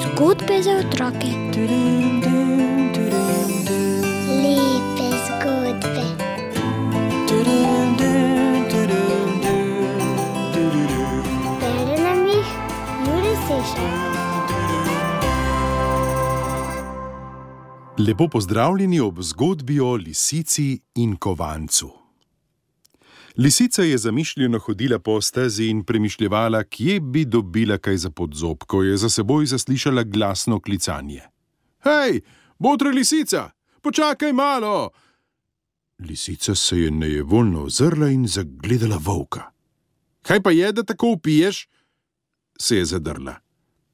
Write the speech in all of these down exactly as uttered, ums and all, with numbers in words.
Zgodbe za otroke. Lepe zgodbe. Bere nam jih Jure Sešar. Lepo pozdravljeni ob zgodbi o lisici in kovancu. Lisica je zamišljeno hodila po stezi in premišljevala, kje bi dobila kaj za podzob, ko je za seboj zaslišala glasno klicanje. Hej, botra lisica, počakaj malo! Lisica se je nejevoljno ozrla in zagledala volka. Kaj pa je, da tako vpiješ? Se je zadrla.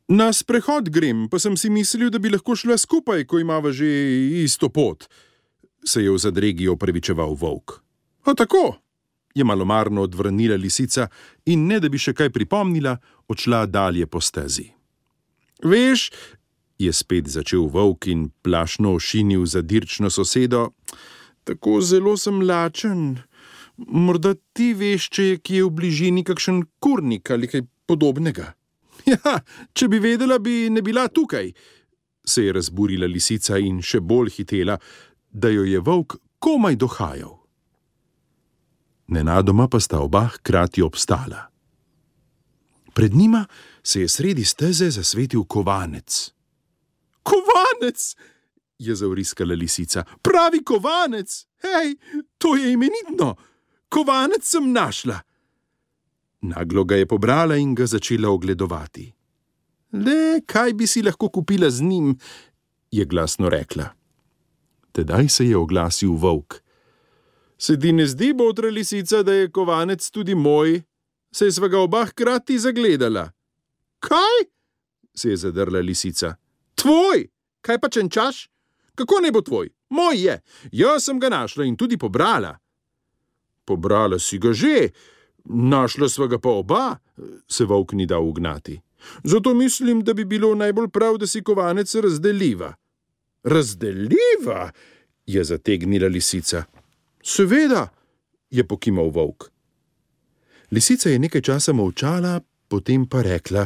Na sprehod grem, pa sem si mislil, da bi lahko šla skupaj, ko imava že isto pot, se je v zadregi opravičeval volk. A tako? Je malomarno odvrnila lisica in ne da bi še kaj pripomnila, odšla dalje po stezi. Veš, je spet začel volk in plašno ošinil za dirčno sosedo, tako zelo sem lačen. Morda ti veš, če je kje v bližini kakšen kurnik ali kaj podobnega. Ja, če bi vedela, bi ne bila tukaj, se je razburila lisica in še bolj hitela, da jo je volk komaj dohajal. Nenadoma pa sta oba hkrati obstala. Pred njima se je sredi steze zasvetil kovanec. Kovanec! Je zavriskala lisica. Pravi kovanec! Hej, to je imenitno! Kovanec sem našla! Naglo ga je pobrala in ga začela ogledovati. Le, kaj bi si lahko kupila z njim, je glasno rekla. Tedaj se je oglasil volk. Se ti ne zdi, botra lisica, da je kovanec tudi moj? Saj sva ga oba hkrati zagledala. Kaj? Se je zadrla lisica. Tvoj! Kaj pa čenčaš? Kako ne bo tvoj? Moj je! Jaz sem ga našla in tudi pobrala. Pobrala si ga že, našla sva ga pa oba, se volk ni dal ugnati. Zato mislim, da bi bilo najbolj prav, da si kovanec razdeliva. Razdeliva? Je zategnila lisica. Seveda, je pokimal volk. Lisica je nekaj časa molčala, potem pa rekla: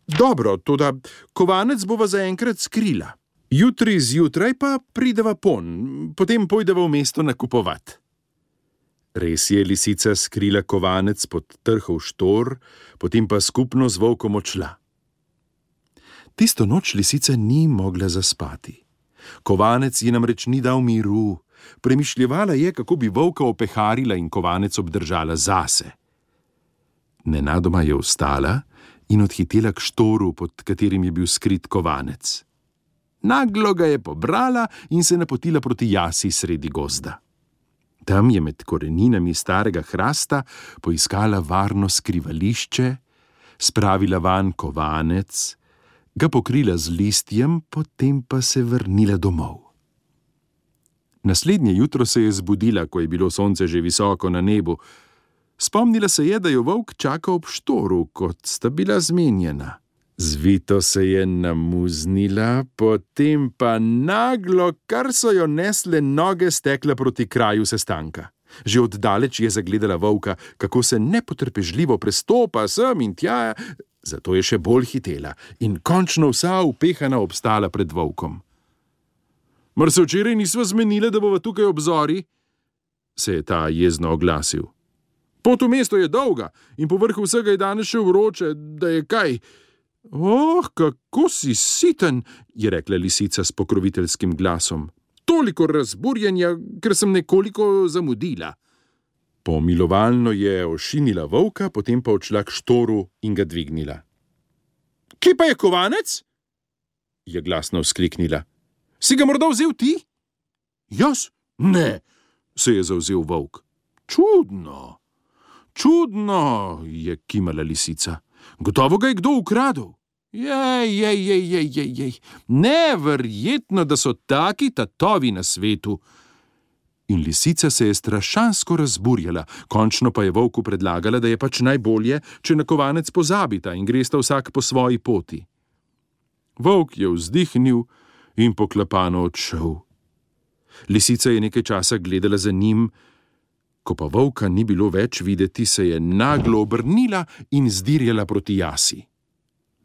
Dobro, toda kovanec bova zaenkrat skrila. Jutri zjutraj pa prideva pon, potem pojdeva v mesto nakupovat. Res je lisica skrila kovanec pod trhov štor, potem pa skupno z volkom odšla. Tisto noč lisica ni mogla zaspati. Kovanec ji namreč ni dal miru. Premišljevala je, kako bi volka opeharila in kovanec obdržala zase. Nenadoma je vstala in odhitela k štoru, pod katerim je bil skrit kovanec. Naglo ga je pobrala in se napotila proti jasi sredi gozda. Tam je med koreninami starega hrasta poiskala varno skrivališče, spravila vanj kovanec, ga pokrila z listjem, potem pa se vrnila domov. Naslednje jutro se je zbudila, ko je bilo sonce že visoko na nebu. Spomnila se je, da jo volk čaka ob štoru, kot sta bila zmenjena. Zvito se je namuznila, potem pa naglo, kar so jo nesle noge, stekla proti kraju sestanka. Že oddaleč je zagledala volka, kako se nepotrpežljivo prestopa sem in tja, zato je še bolj hitela in končno vsa upehana obstala pred volkom. Mar se včeraj nisva zmenila, da bova tukaj ob zori? Se je ta jezno oglasil. Pot v mesto je dolga in povrh vsega je danes še vroče, da je kaj. Oh, kako si siten, je rekla lisica s pokroviteljskim glasom. Toliko razburjenja, ker sem nekoliko zamudila. Pomilovalno je ošinila volka, potem pa odšla k štoru in ga dvignila. Kje pa je kovanec? Je glasno vzkliknila. Si ga morda vzel ti? Jaz? Ne, se je zavzel volk. Čudno, čudno, je kimala lisica. Gotovo ga je kdo ukradel. Jej, jej, jej, jej, jej, jej. Neverjetno, da so taki tatovi na svetu. In lisica se je strašansko razburjala, končno pa je volku predlagala, da je pač najbolje, če na kovanec pozabita in gresta vsak po svoji poti. Volk je vzdihnil in poklapano odšel. Lisica je nekaj časa gledala za njim, Ko pa volka ni bilo več videti, se je naglo obrnila in zdirjala proti jasi.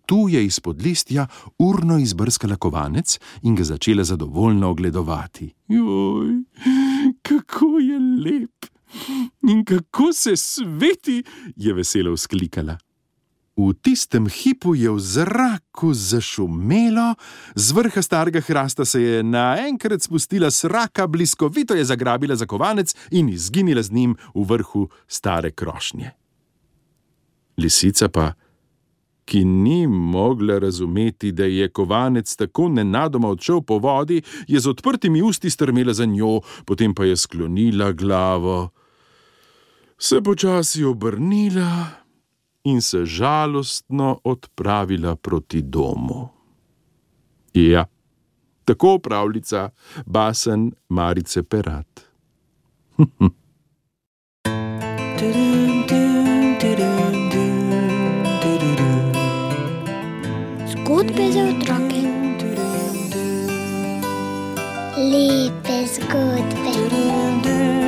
Tu je izpod listja urno izbrskala kovanec in ga začela zadovoljno ogledovati. Joj, kako je lep in kako se sveti, je veselo vzklikala. V tistem hipu je v zraku zašumelo, z vrha starega hrasta se je naenkrat spustila sraka, bliskovito je zagrabila za kovanec in izginila z njim v vrhu stare krošnje. Lisica pa, ki ni mogla razumeti, da je kovanec tako nenadoma odšel po vodi, je z odprtimi usti strmela za njo, potem pa je sklonila glavo, se počasi obrnila in se žalostno odpravila proti domu. Ja, tako pravljica basen Marice Perat. Zgodbe za otroke. Lepe zgodbe.